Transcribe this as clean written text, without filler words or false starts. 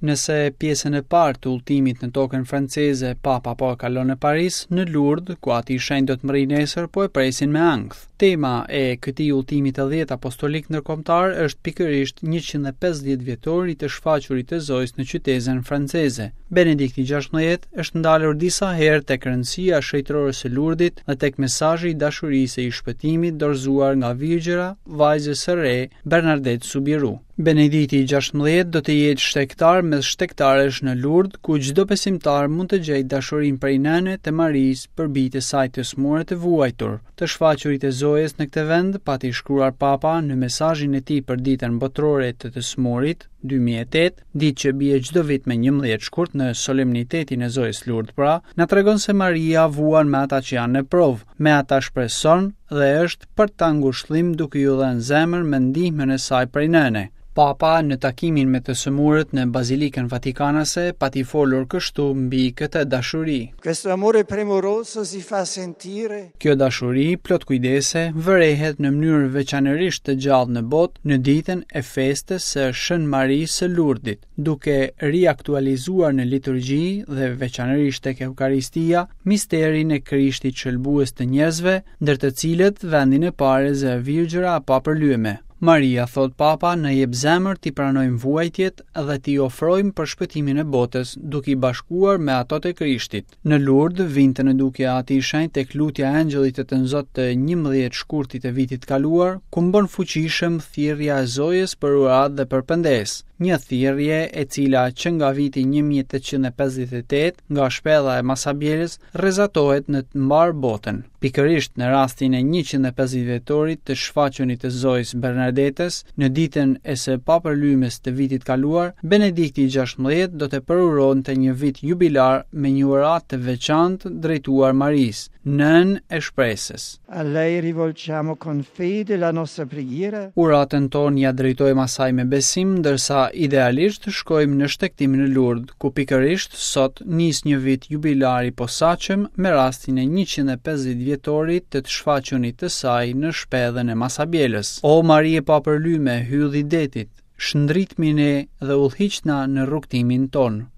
Nëse pjesën e parë të udhëtimit në tokën franceze Papa po e kalon në Paris, në Lurd, ku Ati i Shenjtë do të mbërrijë nesër, po e presin me ankth. Tema e këtij udhëtimi të dhjetë apostolik ndërkombëtar është pikërisht 150 vjetori i të shfaqurit të Zojës në qytezën franceze. Benedikti XVI është ndalur disa herë tek rëndësia e shenjtërores së Lurdit dhe tek mesazhi i dashurisë e i shpëtimit dorëzuar nga Virgjëra, vajzës së re, Bernardet Subiru. Benedikti i 16 do të jetë shtegtar mes shtegtarësh në Lurd, ku çdo besimtar mund të gjejë dashurinë prej nëne të Marisë për bijtë e saj të sëmurë e të vuajtur. Të shfaqurit e Zojës në këtë vend, pati shkruar Papa në mesazhin e tij për Ditën Botërore të të Sëmurit, 2008, ditë që bie çdo vit me 11 shkurt në solemnitetin e Zojës Lurd pra, na tregon se Maria vuan me ata që janë në provë, me ata shpreson dhe është për ta ngushëllim duke iu dhënë zemër me ndihmën e saj prej nëne. Papa në takimin me të sëmurët në Bazilikën Vatikanase pati folur kështu mbi këtë dashuri. Questo amore premuroso si fa sentire. Kjo dashuri plot kujdese vërehet në mënyrë veçanërisht të gjallë në botë në ditën e festës së Shën Marisë së Lurdit, duke riaktualizuar në liturgji dhe veçanërisht tek Eukaristia misterin e Krishtit shëlbues të njerëzve, ndër të cilët vendin e parë e zë Virgjëra e Papërlyeme. Maria, thotë Papa, na jep zemër t'i pranojmë vuajtjet dhe t'i ofrojmë për shpëtimin e botës, duke i bashkuar me ato të Krishtit. Në Lurd, vinte në dukje Ati i Shenjtë tek lutja e Engjëllit të Tënzot të 11 shkurtit të vitit të kaluar, kumbon fuqishëm thirrja e Zojës për uratë dhe për pendesë, një thirrje e cila që nga viti 1858 nga shpella e Masabjelës rrezatohet në mbarë botën. Pikërisht në rastin e 150 vjetorit të shfaqunit të Zojës Bernardetës, në ditën e së papërlymes të vitit kaluar, Benedikti i 16 do të përuronte një vit jubilar me një uratë të veçantë drejtuar Marisë, nënë e shpresës. A lei rivolgiamo con fede la nostra preghiera. Uratën tonë ia drejtojmë asaj me besim, ndërsa idealisht shkojmë në shtegtim në Lurd, ku pikërisht sot nis një vit jubilar i posaçëm me rastin e 150 vjetorit të të shfaqunit të saj në shpellën e Masabjelës. O Mari e papërlyme, hyll i detit, shndritmi ne dhe udhëhiqna në rrugëtimin tonë.